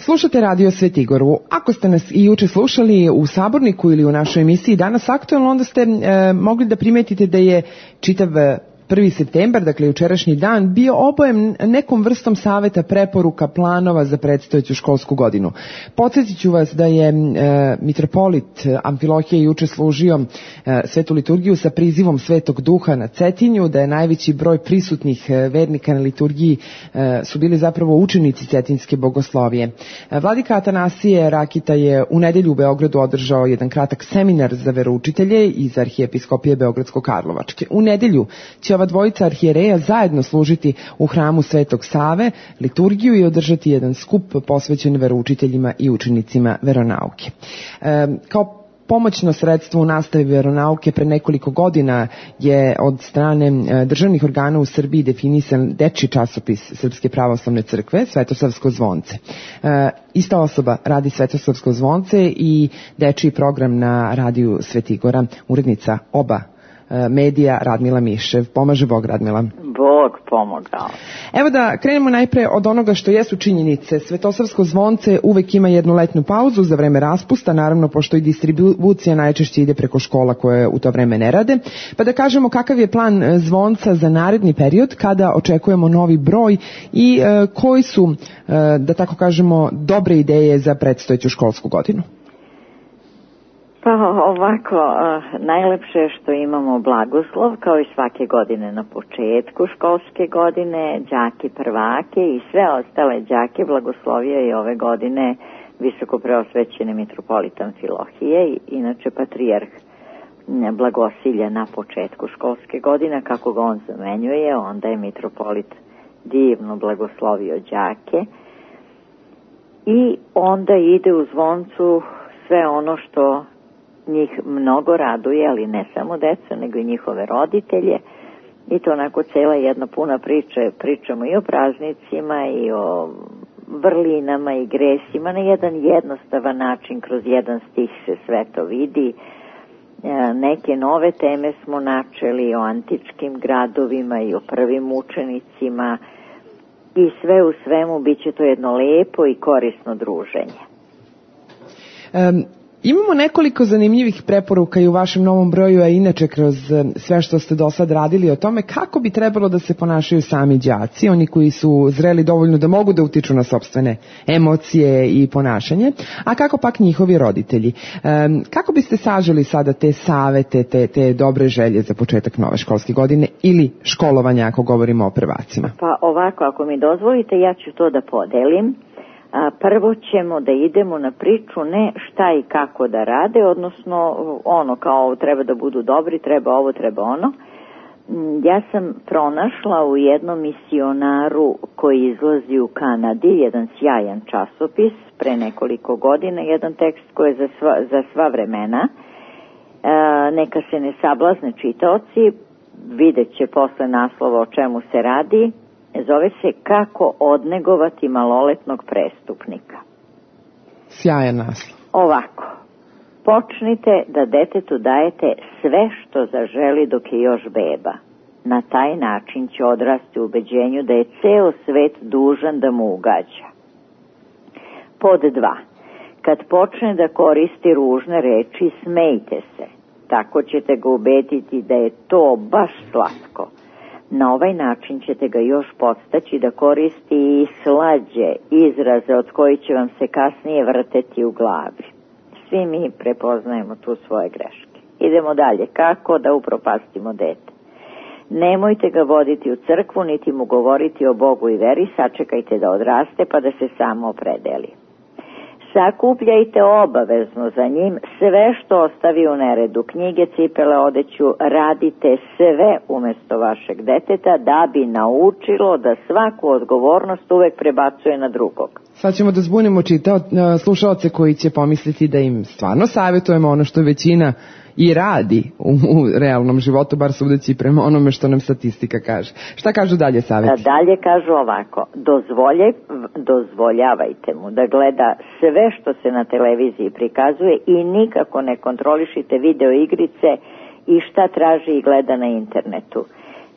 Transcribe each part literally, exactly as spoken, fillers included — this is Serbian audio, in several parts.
Slušate Radio Svetigoru. Ako ste nas i juče slušali u Saborniku ili u našoj emisiji Danas aktuelno, onda ste e, mogli da primetite da je čitav prvi septembar, dakle jučerašnji dan, bio obojem nekom vrstom saveta, preporuka, planova za predstojeću školsku godinu. Podsjetit ću vas da je e, mitropolit Amfilohije juče služio e, svetu liturgiju sa prizivom Svetog Duha na Cetinju, da je najveći broj prisutnih e, vernika na liturgiji e, su bili zapravo učenici Cetinjske bogoslovije. E, Vladika Atanasije Rakita je u nedelju u Beogradu održao jedan kratak seminar za veroučitelje iz Arhijepiskopije Beogradsko-Karlovačke. U nedelju će ova dvojica arhijereja zajedno služiti u hramu Svetog Save liturgiju i održati jedan skup posvećen veroučiteljima i učenicima veronauke. E, kao pomoćno sredstvo u nastavi veronauke pre nekoliko godina je od strane državnih organa u Srbiji definisan dečiji časopis Srpske pravoslavne crkve, Svetosavsko zvonce. E, ista osoba radi Svetosavsko zvonce i dečiji program na radiju Svetigora, urednica oba medija Radmila Mišev. Pomaže Bog, Radmila. Bog pomogao. Evo da krenemo najpre od onoga što jesu činjenice. Svetosavsko zvonce uvek ima jednu letnju pauzu za vreme raspusta, naravno pošto i distribucija najčešće ide preko škola koje u to vreme ne rade. Pa da kažemo kakav je plan zvonca za naredni period, kada očekujemo novi broj i e, koji su, e, da tako kažemo, dobre ideje za predstojeću školsku godinu. Pa ovako, najlepše je što imamo blagoslov, kao i svake godine na početku školske godine, đake prvake i sve ostale đake blagoslovio i ove godine visoko preosvećeni mitropolit Amfilohije, inače patrijarh Blagosilja na početku školske godine, kako ga on zamenjuje, onda je mitropolit divno blagoslovio đake i onda ide u zvoncu sve ono što njih mnogo raduje, ali ne samo deca, nego i njihove roditelje. I to onako cela jedna puna priča. Pričamo i o praznicima i o vrlinama i gresima. Na jedan jednostavan način, kroz jedan stih se sve to vidi. Neke nove teme smo načeli o antičkim gradovima i o prvim učenicima. I sve u svemu bit će to jedno lepo i korisno druženje. Um... Imamo nekoliko zanimljivih preporuka i u vašem novom broju, a inače kroz sve što ste do sad radili o tome kako bi trebalo da se ponašaju sami đaci, oni koji su zreli dovoljno da mogu da utiču na sopstvene emocije i ponašanje, a kako pak njihovi roditelji. Um, kako biste saželi sada te savete, te, te dobre želje za početak nove školske godine ili školovanja ako govorimo o prvacima? Pa ovako, ako mi dozvolite, ja ću to da podelim. Prvo ćemo da idemo na priču ne šta i kako da rade, odnosno ono kao treba da budu dobri, treba ovo, treba ono. Ja sam pronašla u jednom misionaru koji izlazi u Kanadi, jedan sjajan časopis pre nekoliko godina, jedan tekst koji je za sva, za sva vremena. E, neka se ne sablazne čitaoci, vidjet će posle naslova o čemu se radi. Zove se Kako odnegovati maloletnog prestupnika. Sjajan naslov. Ovako, počnite da detetu dajete sve što zaželi dok je još beba. Na taj način će odrasti u ubeđenju da je ceo svet dužan da mu ugađa. Pod dva. Kad počne da koristi ružne reči, smejte se. Tako ćete ga ubediti da je to baš slatko. Na ovaj način ćete ga još podstaći da koristi i slađe izraze od kojih će vam se kasnije vrteti u glavi. Svi mi prepoznajemo tu svoje greške. Idemo dalje. Kako da upropastimo dete? Nemojte ga voditi u crkvu, niti mu govoriti o Bogu i veri, sačekajte da odraste pa da se samo opredeli. Sakupljajte obavezno za njim sve što ostavi u neredu, knjige, cipele, odeću, radite sve umesto vašeg deteta da bi naučilo da svaku odgovornost uvek prebacuje na drugog. Sad ćemo da zbunimo čitao, slušaoce koji će pomisliti da im stvarno savjetujemo ono što većina i radi u, u realnom životu, bar sudeći prema onome što nam statistika kaže. Šta kažu dalje savjeti? Dalje kažu ovako, dozvolje, dozvoljavajte mu da gleda sve što se na televiziji prikazuje i nikako ne kontrolišite video igrice i šta traži i gleda na internetu.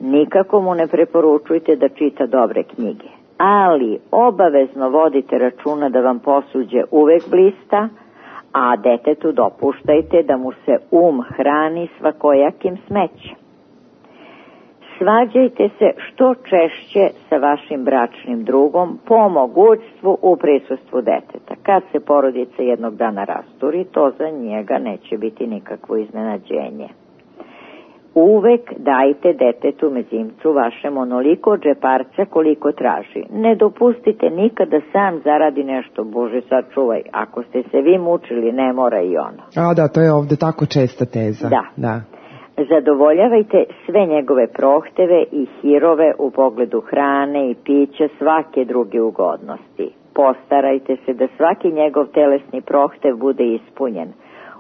Nikako mu ne preporučujte da čita dobre knjige. ali obavezno vodite računa da vam posuđe uvek blista, a detetu dopuštajte da mu se um hrani svakojakim smećem. Svađajte se što češće sa vašim bračnim drugom, po mogućstvu u prisustvu deteta. Kad se porodica jednog dana rasturi, to za njega neće biti nikakvo iznenađenje. Uvek dajte detetu mezimcu vašem onoliko džeparca koliko traži. Ne dopustite nikada sam zaradi nešto, Bože sačuvaj. Ako ste se vi mučili, ne mora i ono. A da, to je ovde tako česta teza. Da. da. Zadovoljavajte sve njegove prohteve i hirove u pogledu hrane i pića, svake druge ugodnosti. Postarajte se da svaki njegov telesni prohtev bude ispunjen.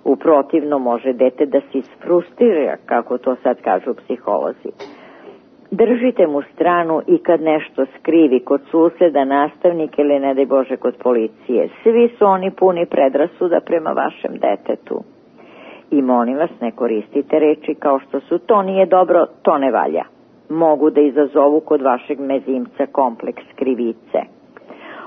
U protivno može dete da se isfrustrira, kako to sad kažu psiholozi. Držite mu stranu i kad nešto skrivi kod suseda, nastavnika ili ne daj Bože kod policije. Svi su oni puni predrasuda prema vašem detetu. I molim vas, ne koristite reči kao što su to nije dobro, to ne valja. Mogu da izazovu kod vašeg mezimca kompleks krivice.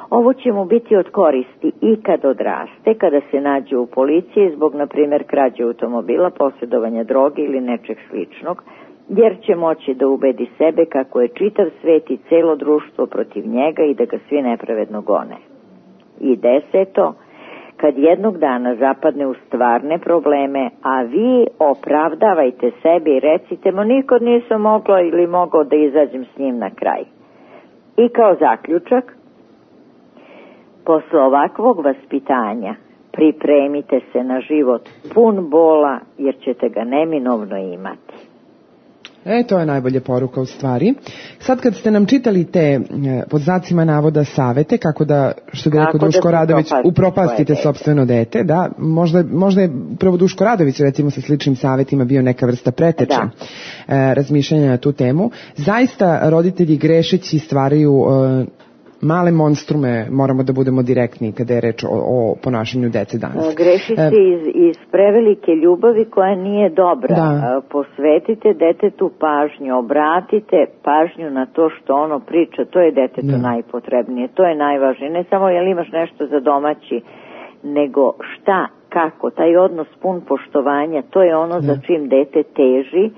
Ovo će mu biti od koristi i kad odraste, kada se nađe u policiji zbog, na primjer, krađe automobila, posjedovanja droge ili nečeg sličnog, jer će moći da ubedi sebe kako je čitav svet i celo društvo protiv njega i da ga svi nepravedno gone. I deseto, kad jednog dana zapadne u stvarne probleme, a vi opravdavajte sebe i recite mu nikad nisam mogla ili mogao da izađem s njim na kraj. I kao zaključak, posle ovakvog vaspitanja pripremite se na život pun bola, jer ćete ga neminovno imati. E, to je najbolja poruka u stvari. Sad kad ste nam čitali te, pod znacima navoda, savete, kako da, što bi rekao Duško Radović, upropastite sopstveno dete, da, možda, možda je upravo Duško Radović, recimo, sa sličnim savetima bio neka vrsta preteče e, razmišljanja na tu temu. Zaista roditelji grešeći stvaraju e, male monstrume, moramo da budemo direktni kada je reč o, o ponašanju dece danas. Greši se iz, iz prevelike ljubavi koja nije dobra. Da. Posvetite detetu pažnju, obratite pažnju na to što ono priča, to je detetu da. najpotrebnije, to je najvažnije. Ne samo jel imaš nešto za domaći, nego šta, kako, taj odnos pun poštovanja, to je ono da. za čim dete teži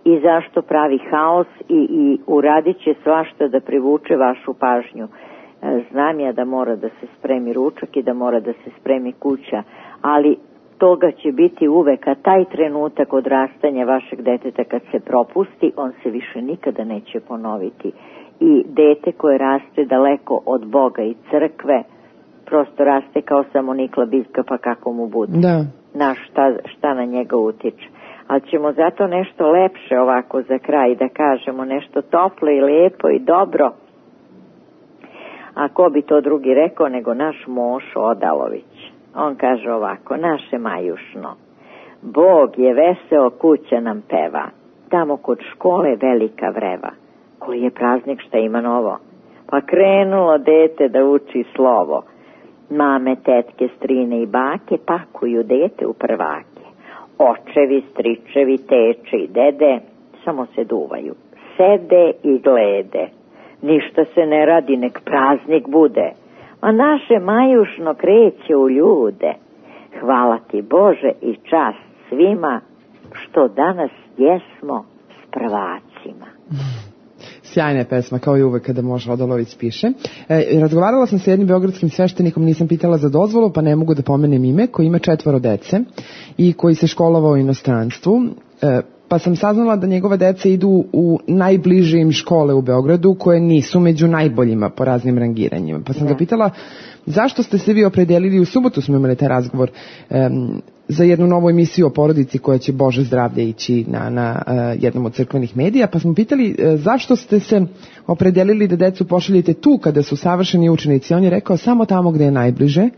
i zašto pravi haos i, i uradit će svašta da privuče vašu pažnju. Znam ja da mora da se spremi ručak i da mora da se spremi kuća, ali toga će biti uvek, a taj trenutak odrastanja vašeg deteta kad se propusti, on se više nikada neće ponoviti. I dete koje raste daleko od Boga i crkve, prosto raste kao samo Nikla Biljka, pa kako mu bude. Da. Na šta, šta na njega utiče. Ali ćemo zato nešto lepše ovako za kraj da kažemo, nešto toplo i lepo i dobro. A ko bi to drugi rekao nego naš Mošo Odalović. On kaže ovako, naše Majušno, Bog je veseo, kuća nam peva, tamo kod škole velika vreva. Koji je praznik, šta ima novo? Pa krenulo dete da uči slovo. Mame, tetke, strine i bake pakuju dete u prvake. Očevi, stričevi, teče i dede samo se duvaju, sede i glede. Ništa se ne radi, nek praznik bude, a naše Majušno kreće u ljude. Hvala ti Bože i čast svima, što danas jesmo s prvacima. Sjajna je pesma, kao i uvek kada Mošo Odalović piše. E, razgovarala sam sa jednim beogradskim sveštenikom, nisam pitala za dozvolu, pa ne mogu da pomenem ime, koji ima četvoro dece i koji se školovao u inostranstvu. E, pa sam saznala da njegove dece idu u najbliže im škole u Beogradu, koje nisu među najboljima po raznim rangiranjima. Pa sam ga pitala, zašto ste se vi opredelili, u subotu smo imali taj razgovor, um, za jednu novu emisiju o porodici koja će, Bože zdravlje, ići na, na uh, jednom od crkvenih medija, pa smo pitali uh, zašto ste se opredelili da decu pošaljete tu kada su savršeni učenici. On je rekao, samo tamo gde je najbliže,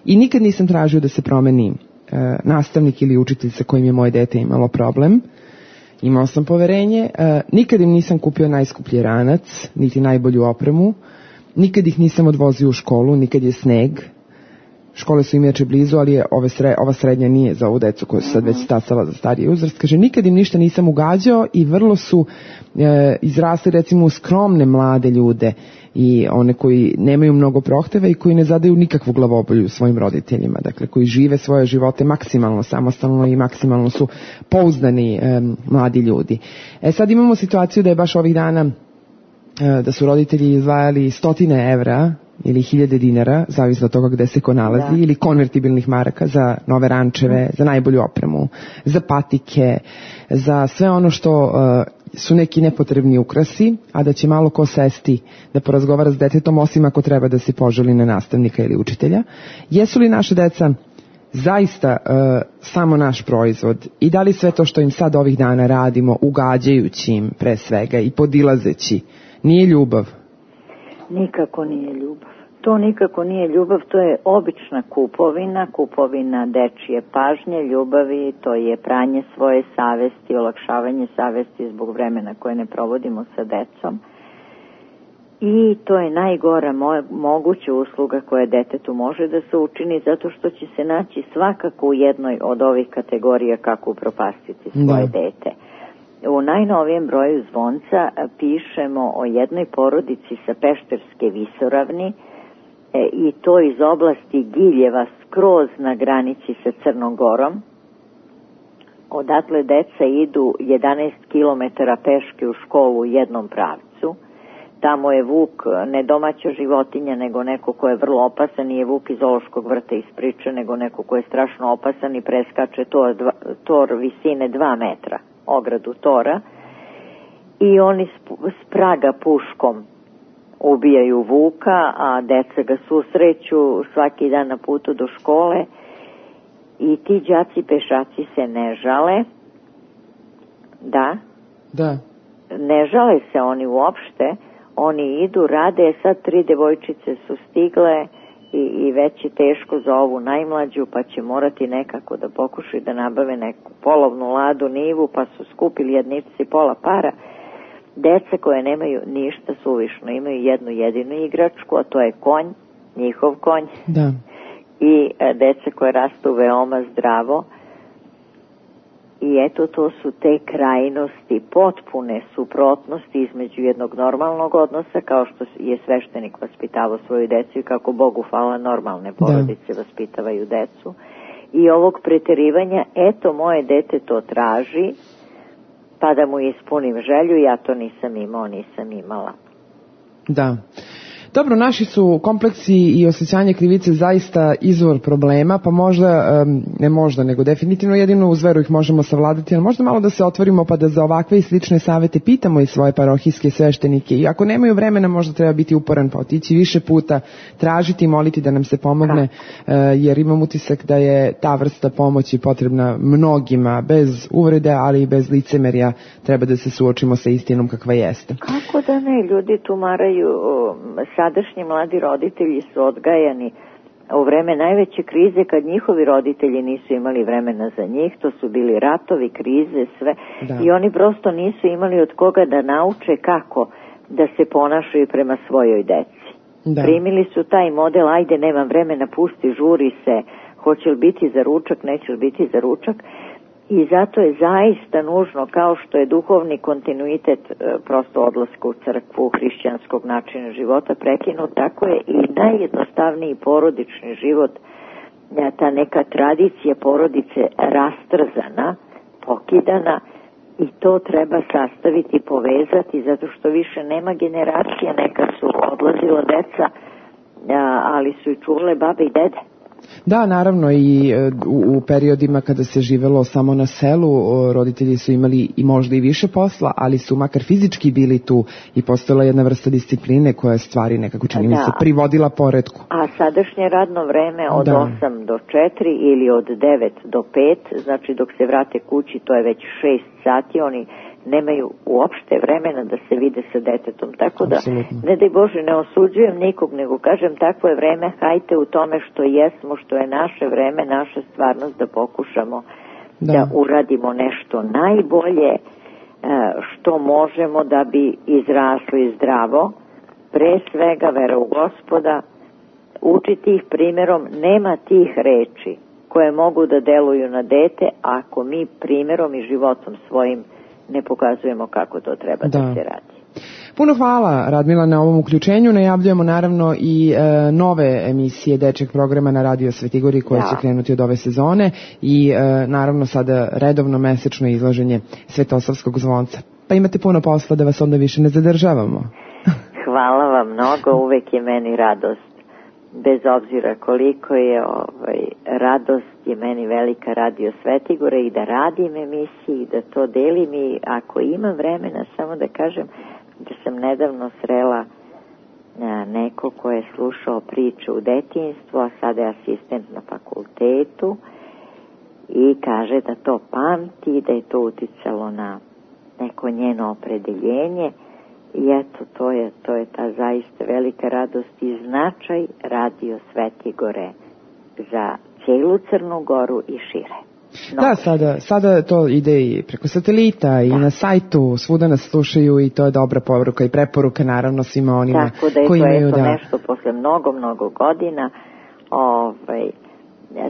i nikad nisam tražio da se promeni uh, nastavnik ili učitelj sa kojim je moje dete imalo problem. Imao sam poverenje, uh, nikad im nisam kupio najskuplji ranac, niti najbolju opremu, nikad ih nisam odvozio u školu, nikad je sneg. škole su im inače blizu, ali je ove sre, ova srednja nije za ovu decu koja su sad već stasala za stariji uzrast. Kaže, nikad im ništa nisam ugađao i vrlo su e, izrasli recimo u skromne mlade ljude i one koji nemaju mnogo prohteva i koji ne zadaju nikakvu glavobolju svojim roditeljima, dakle koji žive svoje živote maksimalno samostalno i maksimalno su pouzdani e, mladi ljudi. E sad imamo situaciju da je baš ovih dana e, da su roditelji izdvajali stotine evra ili hiljade dinara, zavisno od toga gde se ko nalazi, da. Ili konvertibilnih maraka za nove rančeve, za najbolju opremu, za patike, za sve ono što uh, su neki nepotrebni ukrasi, a da će malo ko sesti da porazgovara s detetom, osim ako treba da se požali na nastavnika ili učitelja. Jesu li naše deca zaista uh, samo naš proizvod i da li sve to što im sad ovih dana radimo, ugađajući im pre svega i podilazeći, nije ljubav? Nikako nije ljubav. To nikako nije ljubav, to je obična kupovina, kupovina dečije pažnje, ljubavi, to je pranje svoje savesti, olakšavanje savesti zbog vremena koje ne provodimo sa decom. I to je najgora mo- moguća usluga koja detetu može da se učini, zato što će se naći svakako u jednoj od ovih kategorija kako upropastiti svoje da. dete. U najnovijem broju Zvonca pišemo o jednoj porodici sa Pešterske visoravni e, i to iz oblasti Giljeva skroz na granici sa Crnom Gorom. Odatle deca idu jedanaest kilometara peške u školu u jednom pravcu. Tamo je vuk ne domaća životinja, nego neko ko je vrlo opasan, nije vuk iz zoološkog vrta iz priče, nego neko ko je strašno opasan i preskače tor, dva, tor visine dva metra. Ogradu tora, i oni s praga puškom ubijaju vuka, a deca ga susreću svaki dan na putu do škole i ti đaci pešaci se ne žale. Da? Da. Ne žale se oni uopšte, oni idu, rade, sad tri devojčice su stigle I, i već je teško za ovu najmlađu, pa će morati nekako da pokušaju da nabave neku polovnu ladu nivu, pa su skupili jednici pola para. Deca koje nemaju ništa suvišno, imaju jednu jedinu igračku, a to je konj, njihov konj. Da. I e, deca koje rastu veoma zdravo. I eto, to su te krajnosti, potpune suprotnosti između jednog normalnog odnosa, kao što je sveštenik vaspitavao svoju decu i kako Bogu hvala normalne porodice da. vaspitavaju decu. I ovog preterivanja, eto, moje dete to traži, pa da mu ispunim želju, ja to nisam imao, nisam imala. Da. Dobro, naši su kompleksi i osjećanje krivice zaista izvor problema, pa možda, ne možda, nego definitivno jedino uz veru ih možemo savladati, ali možda malo da se otvorimo pa da za ovakve i slične savete pitamo i svoje parohijske sveštenike. I ako nemaju vremena, možda treba biti uporan pa otići više puta, tražiti i moliti da nam se pomogne, jer imam utisak da je ta vrsta pomoći potrebna mnogima, bez uvrede, ali i bez licemerja. Treba da se suočimo sa istinom kakva jeste. Kako da ne, ljudi tumaraju. Sadašnji mladi roditelji su odgajani u vreme najveće krize, kad njihovi roditelji nisu imali vremena za njih, to su bili ratovi, krize, sve, da. I oni prosto nisu imali od koga da nauče kako da se ponašaju prema svojoj deci. Da. Primili su taj model, ajde, nemam vremena, pusti, žuri se, hoće li biti za ručak, neće li biti za ručak. I zato je zaista nužno, kao što je duhovni kontinuitet e, prosto odlaska u crkvu hrišćanskog načina života prekinut, tako je i najjednostavniji porodični život, e, ta neka tradicija porodice rastrzana, pokidana, i to treba sastaviti, povezati, zato što više nema generacija, nekad su odlazila deca, a, ali su i čule babe i dede. Da, naravno, i u, u periodima kada se živelo samo na selu, roditelji su imali i možda i više posla, ali su makar fizički bili tu i postojala jedna vrsta discipline koja stvari nekako, čini mi se, privodila poretku. A sadašnje radno vreme od da. osam do četiri ili od devet do pet, znači dok se vrate kući, to je već šest sati, oni nemaju uopšte vremena da se vide sa detetom. Tako da, Absolutno. ne daj Bože, ne osuđujem nikog, nego kažem, takvo je vreme, hajte u tome što jesmo, što je naše vreme, naša stvarnost, da pokušamo da, da uradimo nešto najbolje što možemo da bi izrasli zdravo, pre svega vera u Gospoda, učiti ih primjerom, nema tih reči koje mogu da deluju na dete ako mi primjerom i životom svojim ne pokazujemo kako to treba da, da se radi. Puno hvala, Radmila, na ovom uključenju. Najavljujemo naravno i e, nove emisije dečjeg programa na Radio Svetigori koje da. će krenuti od ove sezone i e, naravno sada redovno mesečno izlaženje Svetosavskog zvonca. Pa imate puno posla, da vas onda više ne zadržavamo. Hvala vam mnogo, uvek je meni radost. Bez obzira koliko je ovaj, radost je meni velika Radio Svetigora i da radim emisiji i da to delim i ako imam vremena samo da kažem da sam nedavno srela a, neko ko je slušao priče u detinjstvu, a sada je asistent na fakultetu i kaže da to pamti, da je to uticalo na neko njeno opredeljenje. I eto, to je, to je ta zaista velika radost i značaj Radio Svetigore za cijelu Crnu Goru i šire. No. Da, sada, sada to ide i preko satelita i da. na sajtu, svuda nas slušaju i to je dobra poruka i preporuka naravno svima onima tako da je koji to imaju eto da... nešto posle mnogo, mnogo godina ovaj,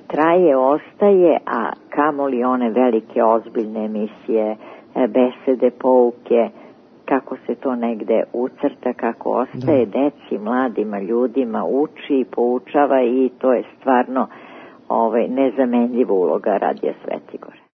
traje, ostaje, a kamoli one velike ozbiljne emisije, besede, pouke, kako se to negde ucrta, kako ostaje da. deci, mladima, ljudima, uči, poučava i to je stvarno ovaj, nezamenljiva uloga Radija Svetigore.